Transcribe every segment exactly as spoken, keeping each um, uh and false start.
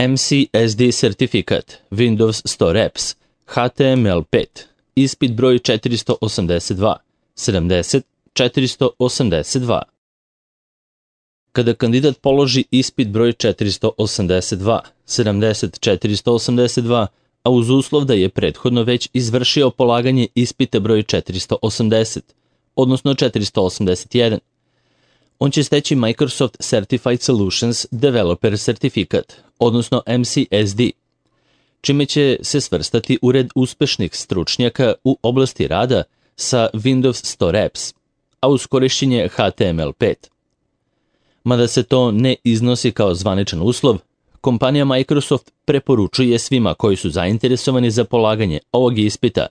M C S D sertifikat, Windows Store Apps, H T M L pet, ispit broj četiristo osamdeset dva, sedamdeset četiristo osamdeset dva. Kada kandidat položi ispit broj četiristo osamdeset dva, sedamdeset četiristo osamdeset dva, a uz uslov da je prethodno već izvršio polaganje ispita broj četiristo osamdeset, odnosno četiristo osamdeset jedan, on će steći Microsoft Certified Solutions Developer certifikat, odnosno M C S D, čime će se svrstati u red uspešnih stručnjaka u oblasti rada sa Windows Store Apps, a uz korišćenje H T M L pet. Mada se to ne iznosi kao zvaničan uslov, kompanija Microsoft preporučuje svima koji su zainteresovani za polaganje ovog ispita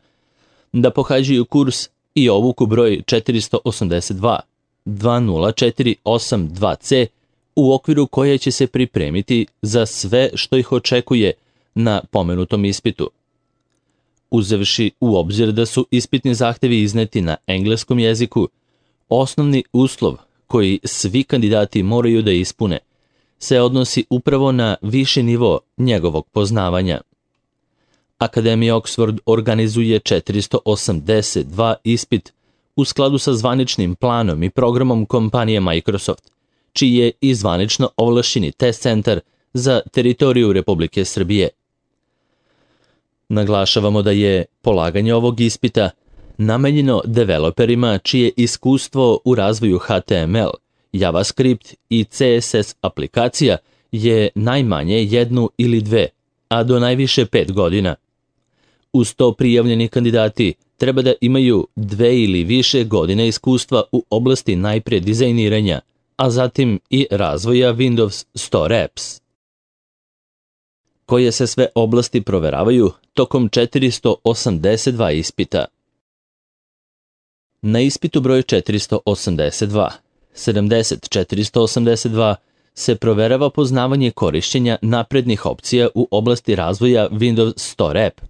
da pohađaju kurs i obuku broj četiristo osamdeset dva dva nula četiri osam dva C u okviru koje će se pripremiti za sve što ih očekuje na pomenutom ispitu. Uzevši u obzir da su ispitni zahtevi izneti na engleskom jeziku, osnovni uslov koji svi kandidati moraju da ispune se odnosi upravo na viši nivo njegovog poznavanja. Akademija Oxford organizuje četiristo osamdeset dva ispit u skladu sa zvaničnim planom i programom kompanije Microsoft, čiji je i zvanično ovlašćeni test centar za teritoriju Republike Srbije. Naglašavamo da je polaganje ovog ispita namenjeno developerima čije iskustvo u razvoju H T M L, JavaScript i C S S aplikacija je najmanje jednu ili dve, a do najviše pet godina. Uz to prijavljeni kandidati treba da imaju dve ili više godine iskustva u oblasti najprije dizajniranja, a zatim i razvoja Windows Store Apps. Koje se sve oblasti proveravaju tokom četiristo osamdeset dva ispita. Na ispitu broj četiristo osamdeset dva, sedamdeset četiristo osamdeset dva se proverava poznavanje korišćenja naprednih opcija u oblasti razvoja Windows Store App,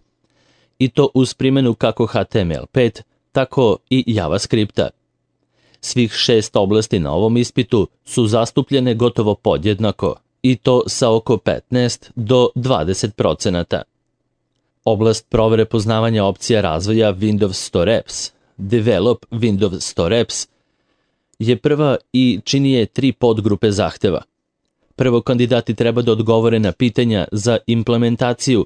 i to uz primjenu kako H T M L pet, tako i JavaScripta. Svih šest oblasti na ovom ispitu su zastupljene gotovo podjednako, i to sa oko petnaest do dvadeset procenata. Oblast provere poznavanja opcija razvoja Windows Store Apps, Develop Windows Store Apps, je prva i čini je tri podgrupe zahteva. Prvo, kandidati treba da odgovore na pitanja za implementaciju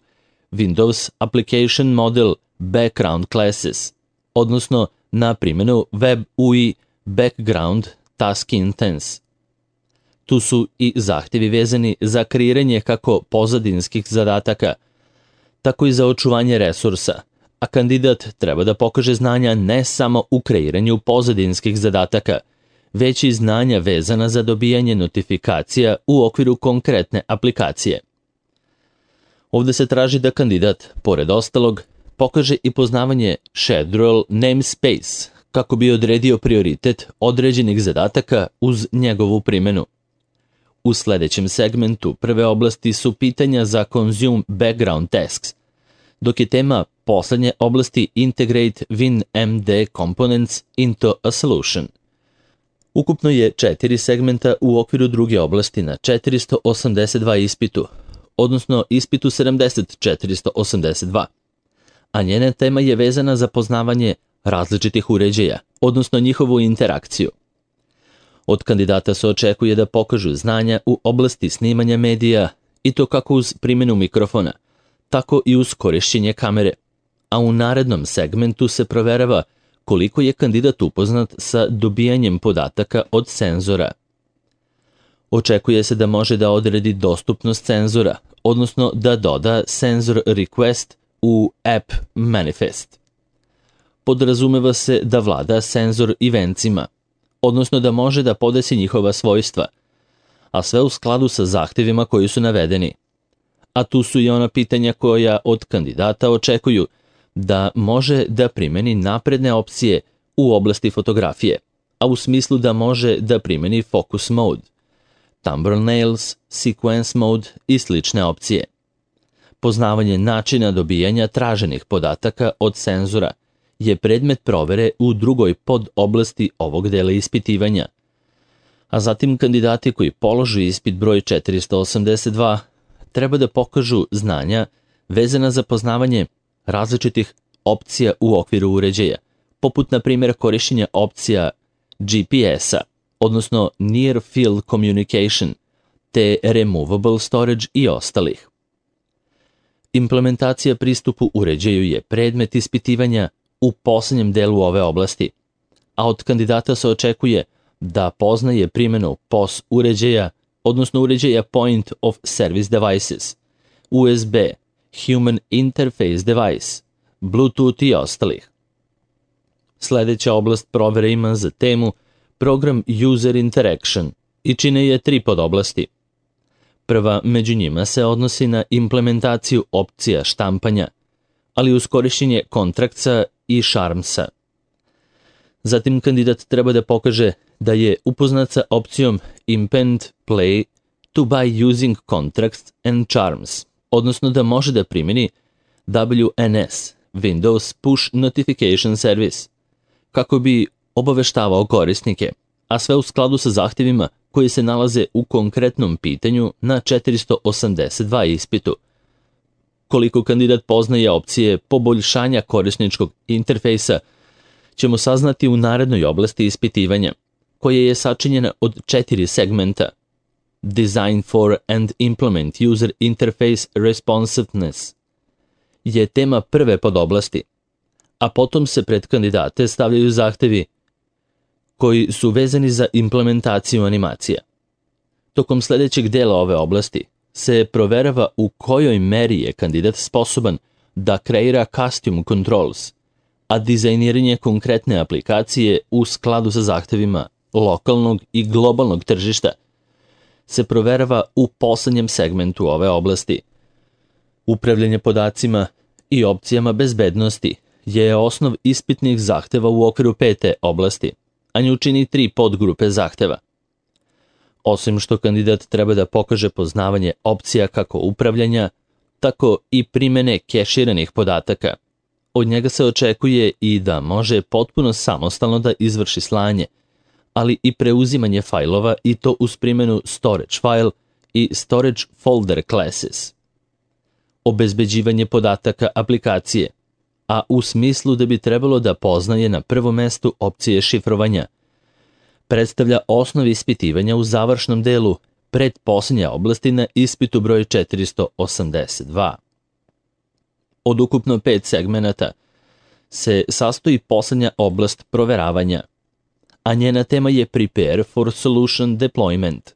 Windows Application Model Background Classes, odnosno na primjenu Web U I Background Task Instance. Tu su i zahtjevi vezani za kreiranje kako pozadinskih zadataka, tako i za očuvanje resursa, a kandidat treba da pokaže znanja ne samo u kreiranju pozadinskih zadataka, već i znanja vezana za dobijanje notifikacija u okviru konkretne aplikacije. Ovdje se traži da kandidat, pored ostalog, pokaže i poznavanje Schedule namespace, kako bi odredio prioritet određenih zadataka uz njegovu primjenu. U sljedećem segmentu prve oblasti su pitanja za Consume Background Tasks, dok je tema poslednje oblasti Integrate WinMD Components into a Solution. Ukupno je četiri segmenta u okviru druge oblasti na četiristo osamdeset dva ispitu, odnosno ispitu sedamdeset četiristo osamdeset dva, a njena tema je vezana za poznavanje različitih uređaja, odnosno njihovu interakciju. Od kandidata se očekuje da pokažu znanja u oblasti snimanja medija, i to kako uz primjenu mikrofona, tako i uz korišćenje kamere, a u narednom segmentu se proverava koliko je kandidat upoznat sa dobijanjem podataka od senzora. Očekuje se da može da odredi dostupnost senzora, odnosno da doda senzor request u app manifest. Podrazumeva se da vlada senzor eventsima, odnosno da može da podesi njihova svojstva, a sve u skladu sa zahtjevima koji su navedeni. A tu su i ona pitanja koja od kandidata očekuju da može da primjeni napredne opcije u oblasti fotografije, a u smislu da može da primjeni focus mode, thumbnails, sequence mode i slične opcije. Poznavanje načina dobijanja traženih podataka od senzora je predmet provere u drugoj podoblasti ovog dela ispitivanja, a zatim kandidati koji polože ispit broj četiristo osamdeset dva treba da pokažu znanja vezana za poznavanje različitih opcija u okviru uređaja, poput na primjer korišćenja opcija G P S-a, odnosno Near Field Communication, te Removable Storage i ostalih. Implementacija pristupu uređaju je predmet ispitivanja u poslednjem delu ove oblasti, a od kandidata se očekuje da poznaje primjenu P O S uređaja, odnosno uređaja Point of Service Devices, U S B, Human Interface Device, Bluetooth i ostalih. Sljedeća oblast provere ima za temu Program User Interaction i čine je tri podoblasti. Prva među njima se odnosi na implementaciju opcija štampanja, ali uz korišćenje Contractsa i Charmsa. Zatim kandidat treba da pokaže da je upoznat sa opcijom Impend Play to by using Contracts and Charms, odnosno da može da primjeni W N S, Windows Push Notification Service, kako bi obaveštavao korisnike, a sve u skladu sa zahtjevima koji se nalaze u konkretnom pitanju na četiristo osamdeset dva ispitu. Koliko kandidat poznaje opcije poboljšanja korisničkog interfejsa, ćemo saznati u narednoj oblasti ispitivanja, koja je sačinjena od četiri segmenta: Design for and Implement User Interface Responsiveness je tema prve podoblasti, a potom se pred kandidate stavljaju zahtevi koji su vezani za implementaciju animacija. Tokom sljedećeg dela ove oblasti se proverava u kojoj meri je kandidat sposoban da kreira custom controls, a dizajniranje konkretne aplikacije u skladu sa zahtevima lokalnog i globalnog tržišta se proverava u poslednjem segmentu ove oblasti. Upravljanje podacima i opcijama bezbednosti je osnov ispitnih zahteva u okviru pete oblasti, a nju čini tri podgrupe zahteva. Osim što kandidat treba da pokaže poznavanje opcija kako upravljanja, tako i primene keširanih podataka, od njega se očekuje i da može potpuno samostalno da izvrši slanje, ali i preuzimanje fajlova i to uz primjenu storage file i storage folder classes. Obezbeđivanje podataka aplikacije, a u smislu da bi trebalo da poznaje na prvom mestu opcije šifrovanja, predstavlja osnov ispitivanja u završnom delu pretposljednje oblasti na ispitu broj četiristo osamdeset dva. Od ukupno pet segmenata se sastoji posljednja oblast proveravanja, a njena tema je Prepare for Solution Deployment.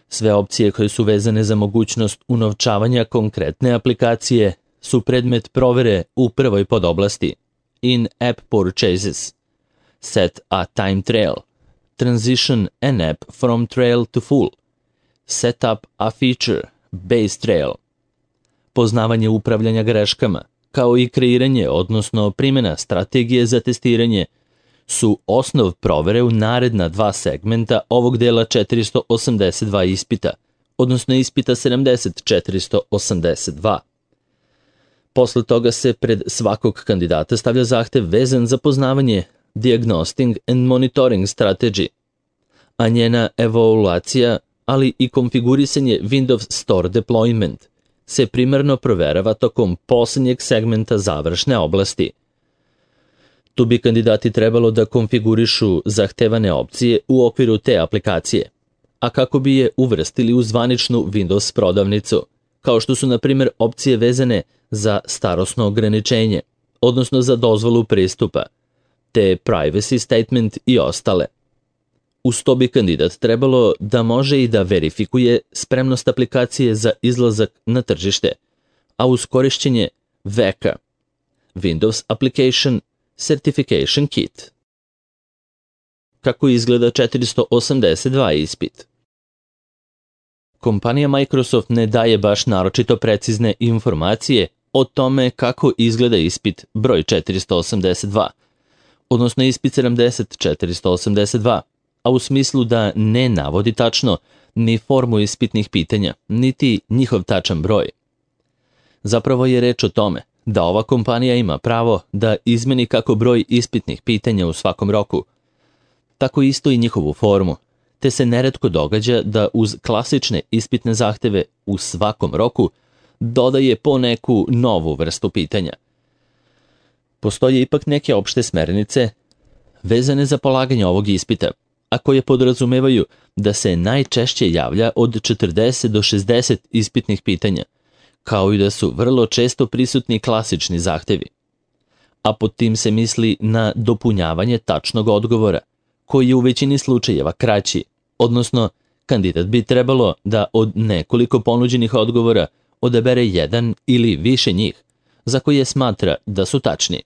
Sve opcije koje su vezane za mogućnost unovčavanja konkretne aplikacije su predmet provere u prvoj podoblasti In-App Purchases, Set a Time Trail, Transition an App from Trail to Full, Set up a Feature, Base Trail. Poznavanje upravljanja greškama, kao i kreiranje, odnosno primjena strategije za testiranje, su osnov provere u naredna dva segmenta ovog dela četiristo osamdeset dva ispita, odnosno ispita sedamdeset četiristo osamdeset dva. Posle toga se pred svakog kandidata stavlja zahtev vezan za poznavanje Diagnostic and Monitoring Strategy, a njena evaluacija, ali i konfigurisanje Windows Store Deployment se primarno proverava tokom posljednjeg segmenta završne oblasti. Tu bi kandidati trebalo da konfigurišu zahtevane opcije u okviru te aplikacije, a kako bi je uvrstili u zvaničnu Windows prodavnicu, kao što su na primjer opcije vezane za starosno ograničenje, odnosno za dozvolu pristupa, te privacy statement i ostale. Uz to bi kandidat trebalo da može i da verifikuje spremnost aplikacije za izlazak na tržište, a uz korišćenje V E C A, Windows Application Certification Kit. Kako izgleda četiristo osamdeset dva ispit? Kompanija Microsoft ne daje baš naročito precizne informacije o tome kako izgleda ispit broj četiristo osamdeset dva, odnosno ispit sedamdeset četiristo osamdeset dva, a u smislu da ne navodi tačno ni formu ispitnih pitanja, niti njihov tačan broj. Zapravo je reč o tome da ova kompanija ima pravo da izmeni kako broj ispitnih pitanja u svakom roku, tako isto i njihovu formu, te se neretko događa da uz klasične ispitne zahteve u svakom roku dodaje po neku novu vrstu pitanja. Postoje ipak neke opšte smernice vezane za polaganje ovog ispita, a koje podrazumevaju da se najčešće javlja od četrdeset do šezdeset ispitnih pitanja, kao i da su vrlo često prisutni klasični zahtevi. A pod tim se misli na dopunjavanje tačnog odgovora, koji je u većini slučajeva kraći, odnosno kandidat bi trebalo da od nekoliko ponuđenih odgovora odabere jedan ili više njih, za koje smatra da su tačni.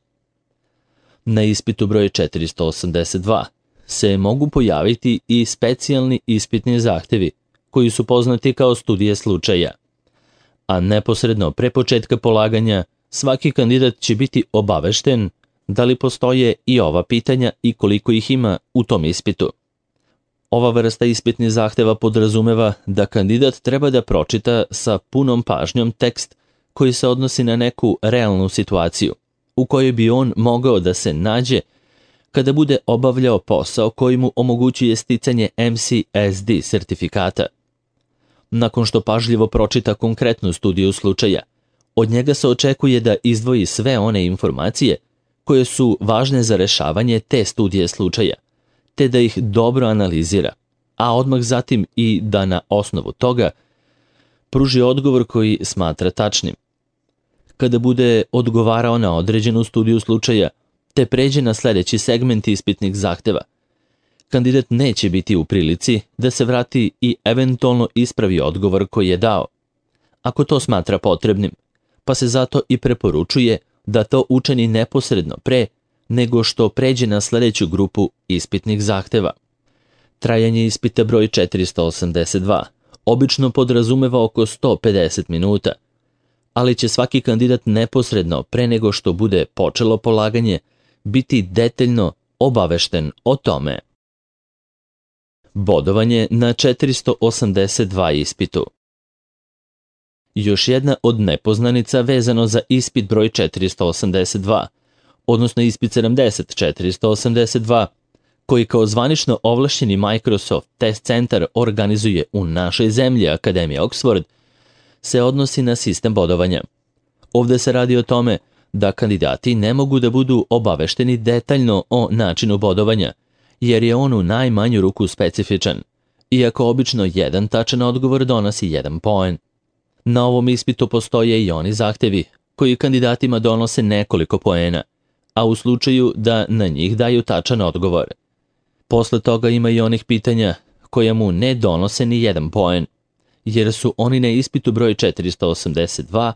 Na ispitu broj četiristo osamdeset dva se mogu pojaviti i specijalni ispitni zahtevi, koji su poznati kao studije slučaja. A neposredno pre početka polaganja, svaki kandidat će biti obavešten da li postoje i ova pitanja i koliko ih ima u tom ispitu. Ova vrsta ispitnih zahteva podrazumeva da kandidat treba da pročita sa punom pažnjom tekst koji se odnosi na neku realnu situaciju, u kojoj bi on mogao da se nađe kada bude obavljao posao koji mu omogućuje sticanje M C S D sertifikata. Nakon što pažljivo pročita konkretnu studiju slučaja, od njega se očekuje da izdvoji sve one informacije koje su važne za rešavanje te studije slučaja, te da ih dobro analizira, a odmah zatim i da na osnovu toga pruži odgovor koji smatra tačnim. Kada bude odgovarao na određenu studiju slučaja, te pređe na sledeći segment ispitnih zahteva, kandidat neće biti u prilici da se vrati i eventualno ispravi odgovor koji je dao, ako to smatra potrebnim, pa se zato i preporučuje da to učini neposredno pre nego što pređe na sledeću grupu ispitnih zahteva. Trajanje ispita broj četiristo osamdeset dva obično podrazumeva oko sto pedeset minuta, ali će svaki kandidat neposredno pre nego što bude počelo polaganje biti detaljno obavešten o tome. Bodovanje na četiristo osamdeset dva ispitu. Još jedna od nepoznanica vezano za ispit broj četiristo osamdeset dva, odnosno ispit sedamdeset četiristo osamdeset dva, koji kao zvanično ovlašćeni Microsoft Test Centar organizuje u našoj zemlji Akademija Oxford, se odnosi na sistem bodovanja. Ovde se radi o tome da kandidati ne mogu da budu obavešteni detaljno o načinu bodovanja, jer je on u najmanju ruku specifičan, iako obično jedan tačan odgovor donosi jedan poen. Na ovom ispitu postoje i oni zahtevi koji kandidatima donose nekoliko poena, a u slučaju da na njih daju tačan odgovor. Posle toga ima i onih pitanja koja mu ne donose ni jedan poen, jer su oni na ispitu broj četiristo osamdeset dva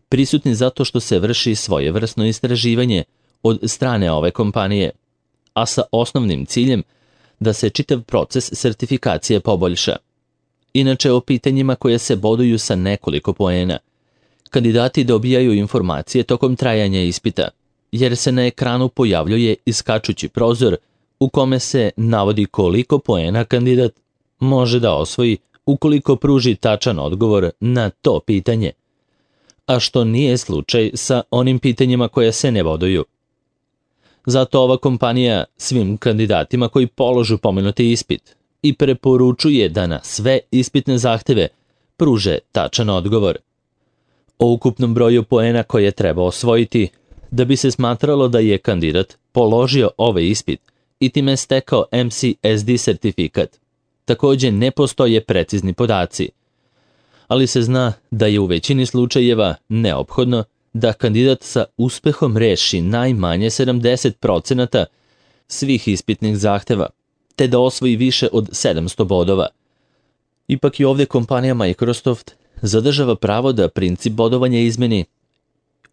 prisutni zato što se vrši svojevrsno istraživanje od strane ove kompanije, a sa osnovnim ciljem da se čitav proces sertifikacije poboljša. Inače, o pitanjima koje se boduju sa nekoliko poena, kandidati dobijaju informacije tokom trajanja ispita, jer se na ekranu pojavljuje iskačući prozor u kome se navodi koliko poena kandidat može da osvoji ukoliko pruži tačan odgovor na to pitanje, a što nije slučaj sa onim pitanjima koje se ne boduju. Zato ova kompanija svim kandidatima koji položu pomenuti ispit i preporučuje da na sve ispitne zahteve pruže tačan odgovor. O ukupnom broju poena koje treba osvojiti da bi se smatralo da je kandidat položio ovaj ispit i time stekao M C S D sertifikat, takođe ne postoje precizni podaci, ali se zna da je u većini slučajeva neophodno da kandidat sa uspehom reši najmanje sedamdeset procenata svih ispitnih zahteva, te da osvoji više od sedamsto bodova. Ipak i ovdje kompanija Microsoft zadržava pravo da princip bodovanja izmeni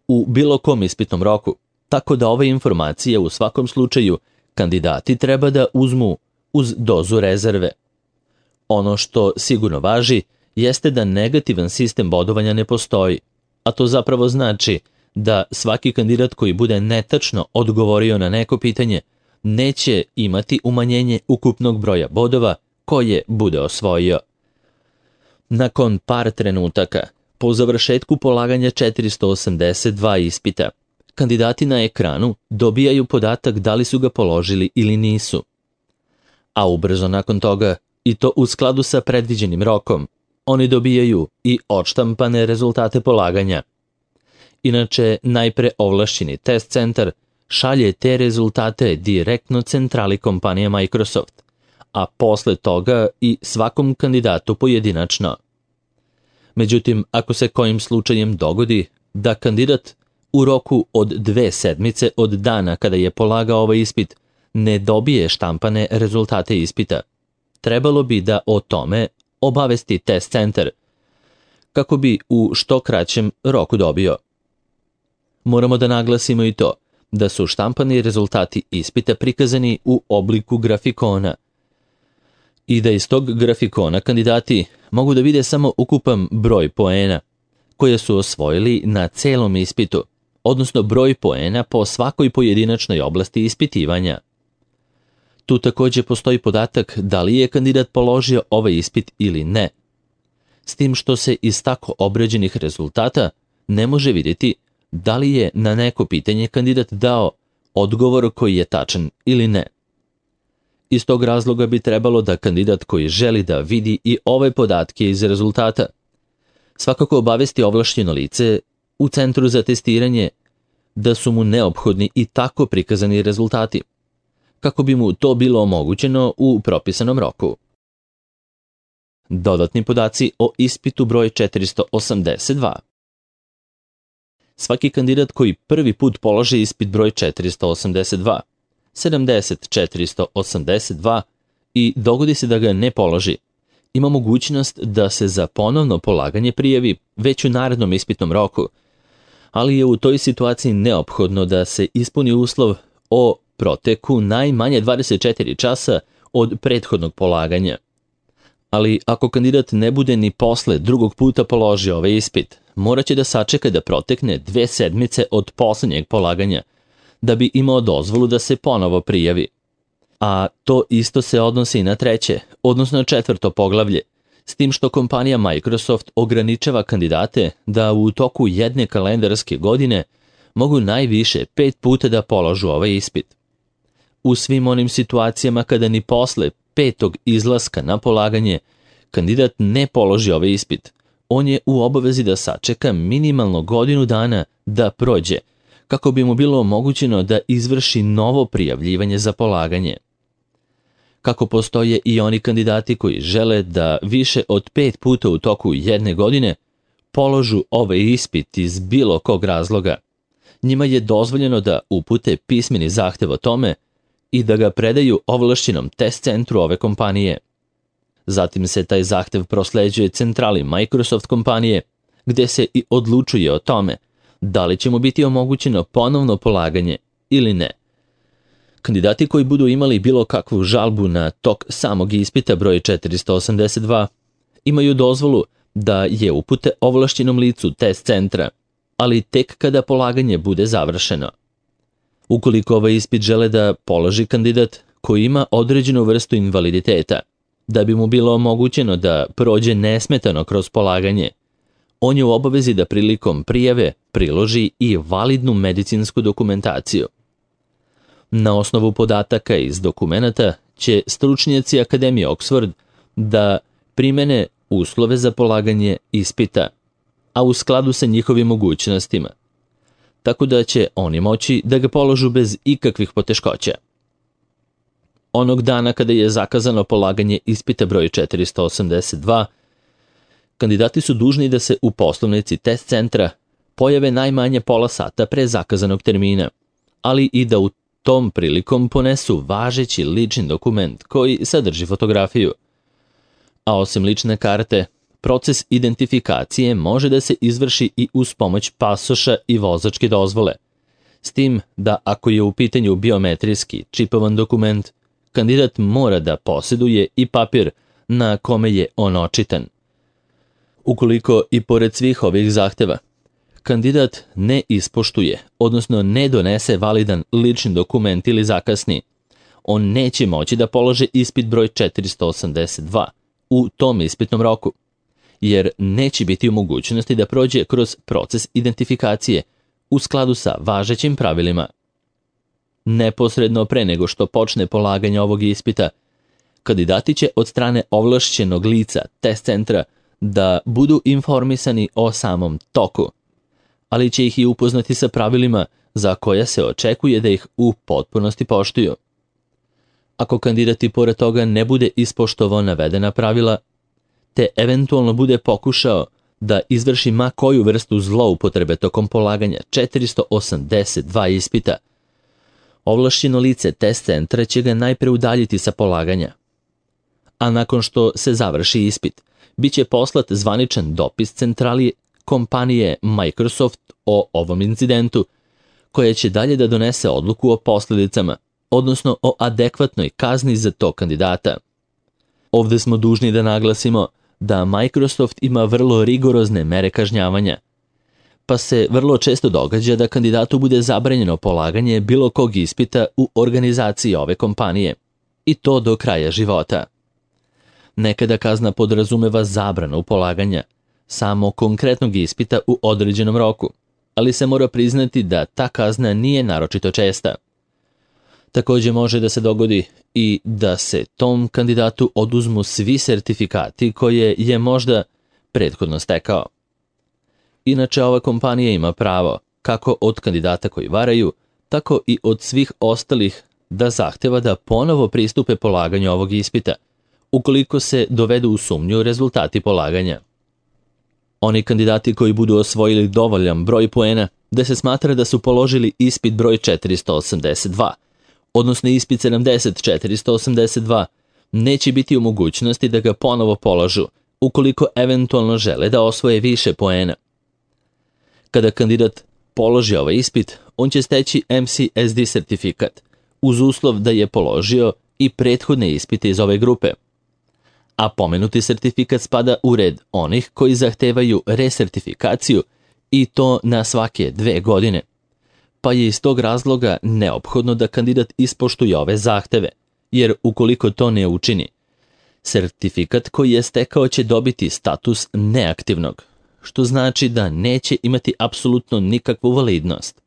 u bilo kom ispitnom roku, tako da ove informacije u svakom slučaju kandidati treba da uzmu uz dozu rezerve. Ono što sigurno važi jeste da negativan sistem bodovanja ne postoji, a to zapravo znači da svaki kandidat koji bude netačno odgovorio na neko pitanje neće imati umanjenje ukupnog broja bodova koje bude osvojio. Nakon par trenutaka, po završetku polaganja četiristo osamdeset dva ispita, kandidati na ekranu dobijaju podatak da li su ga položili ili nisu. A ubrzo nakon toga i to u skladu sa predviđenim rokom. Oni dobijaju i odštampane rezultate polaganja. Inače, najpre ovlašćeni test centar šalje te rezultate direktno centrali kompanije Microsoft, a posle toga i svakom kandidatu pojedinačno. Međutim, ako se kojim slučajem dogodi da kandidat u roku od dve sedmice od dana kada je polagao ovaj ispit ne dobije štampane rezultate ispita, trebalo bi da o tome obavesti test centar, kako bi u što kraćem roku dobio. Moramo da naglasimo i to da su štampani rezultati ispita prikazani u obliku grafikona i da iz tog grafikona kandidati mogu da vide samo ukupan broj poena koje su osvojili na celom ispitu, odnosno broj poena po svakoj pojedinačnoj oblasti ispitivanja. Tu takođe postoji podatak da li je kandidat položio ovaj ispit ili ne, s tim što se iz tako obrađenih rezultata ne može vidjeti da li je na neko pitanje kandidat dao odgovor koji je tačan ili ne. Iz tog razloga bi trebalo da kandidat koji želi da vidi i ove podatke iz rezultata svakako obavesti ovlašćeno lice u centru za testiranje da su mu neophodni i tako prikazani rezultati, kako bi mu to bilo omogućeno u propisanom roku. Dodatni podaci o ispitu broj četiristo osamdeset dva. Svaki kandidat koji prvi put položi ispit broj četiristo osamdeset dva, sedamdeset četiristo osamdeset dva i dogodi se da ga ne položi, ima mogućnost da se za ponovno polaganje prijavi već u narednom ispitnom roku, ali je u toj situaciji neophodno da se ispuni uslov o proteku najmanje dvadeset četiri časa od prethodnog polaganja. Ali ako kandidat ne bude ni posle drugog puta položio ovaj ispit, morat će da sačeka da protekne dve sedmice od poslednjeg polaganja, da bi imao dozvolu da se ponovo prijavi. A to isto se odnosi i na treće, odnosno četvrto poglavlje, s tim što kompanija Microsoft ograničava kandidate da u toku jedne kalendarske godine mogu najviše pet puta da položu ovaj ispit. U svim onim situacijama kada ni posle petog izlaska na polaganje kandidat ne položi ovaj ispit, on je u obavezi da sačeka minimalno godinu dana da prođe, kako bi mu bilo omogućeno da izvrši novo prijavljivanje za polaganje. Kako postoje i oni kandidati koji žele da više od pet puta u toku jedne godine položu ovaj ispit iz bilo kog razloga, njima je dozvoljeno da upute pismeni zahtev o tome i da ga predaju ovlašćenom test centru ove kompanije. Zatim se taj zahtev prosleđuje centrali Microsoft kompanije, gde se i odlučuje o tome da li će mu biti omogućeno ponovno polaganje ili ne. Kandidati koji budu imali bilo kakvu žalbu na tok samog ispita broj četiristo osamdeset dva imaju dozvolu da je upute ovlašćenom licu test centra, ali tek kada polaganje bude završeno. Ukoliko ovaj ispit žele da položi kandidat koji ima određenu vrstu invaliditeta, da bi mu bilo omogućeno da prođe nesmetano kroz polaganje, on je u obavezi da prilikom prijave priloži i validnu medicinsku dokumentaciju. Na osnovu podataka iz dokumenata će stručnjaci Akademije Oxford da primene uslove za polaganje ispita, a u skladu sa njihovim mogućnostima, tako da će oni moći da ga položu bez ikakvih poteškoća. Onog dana kada je zakazano polaganje ispita broj četiristo osamdeset dva, kandidati su dužni da se u poslovnici test centra pojave najmanje pola sata pre zakazanog termina, ali i da u tom prilikom ponesu važeći lični dokument koji sadrži fotografiju. A osim lične karte, proces identifikacije može da se izvrši i uz pomoć pasoša i vozačke dozvole, s tim da ako je u pitanju biometrijski čipovan dokument, kandidat mora da posjeduje i papir na kome je on očitan. Ukoliko i pored svih ovih zahteva, kandidat ne ispoštuje, odnosno ne donese validan lični dokument ili zakasni, on neće moći da položi ispit broj četiristo osamdeset dva u tom ispitnom roku, jer neće biti u mogućnosti da prođe kroz proces identifikacije u skladu sa važećim pravilima. Neposredno pre nego što počne polaganje ovog ispita, kandidati će od strane ovlašćenog lica test centra da budu informisani o samom toku, ali će ih i upoznati sa pravilima za koja se očekuje da ih u potpunosti poštuju. Ako kandidati pored toga ne bude ispoštovao navedena pravila, te eventualno bude pokušao da izvrši ma koju vrstu zloupotrebe tokom polaganja četiristo osamdeset dva ispita, ovlašćeno lice test centra će ga najpre udaljiti sa polaganja. A nakon što se završi ispit, bit će poslat zvaničan dopis centrali kompanije Microsoft o ovom incidentu, koja će dalje da donese odluku o posljedicama, odnosno o adekvatnoj kazni za tog kandidata. Ovde smo dužni da naglasimo da Microsoft ima vrlo rigorozne mere kažnjavanja, pa se vrlo često događa da kandidatu bude zabranjeno polaganje bilo kog ispita u organizaciji ove kompanije, i to do kraja života. Nekada kazna podrazumeva zabranu polaganja samo konkretnog ispita u određenom roku, ali se mora priznati da ta kazna nije naročito česta. Također može da se dogodi i da se tom kandidatu oduzmu svi sertifikati koje je možda prethodno stekao. Inače, ova kompanija ima pravo, kako od kandidata koji varaju, tako i od svih ostalih, da zahteva da ponovo pristupe polaganju ovog ispita, ukoliko se dovedu u sumnju rezultati polaganja. Oni kandidati koji budu osvojili dovoljan broj poena da se smatra da su položili ispit broj četiristo osamdeset dva, odnosno ispit sedamdeset četiristo osamdeset dva, neće biti u mogućnosti da ga ponovo polažu, ukoliko eventualno žele da osvoje više poena. Kada kandidat položi ovaj ispit, on će steći M C S D sertifikat, uz uslov da je položio i prethodne ispite iz ove grupe. A pomenuti sertifikat spada u red onih koji zahtevaju resertifikaciju, i to na svake dve godine. Pa je iz tog razloga neophodno da kandidat ispoštuje ove zahteve, jer ukoliko to ne učini, sertifikat koji je stekao će dobiti status neaktivnog, što znači da neće imati apsolutno nikakvu validnost.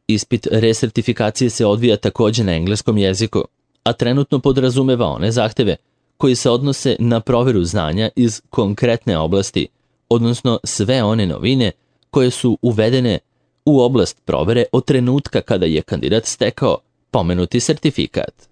Ispit resertifikacije se odvija također na engleskom jeziku, a trenutno podrazumeva one zahteve koji se odnose na proveru znanja iz konkretne oblasti, odnosno sve one novine koje su uvedene u oblast provere od trenutka kada je kandidat stekao pomenuti sertifikat.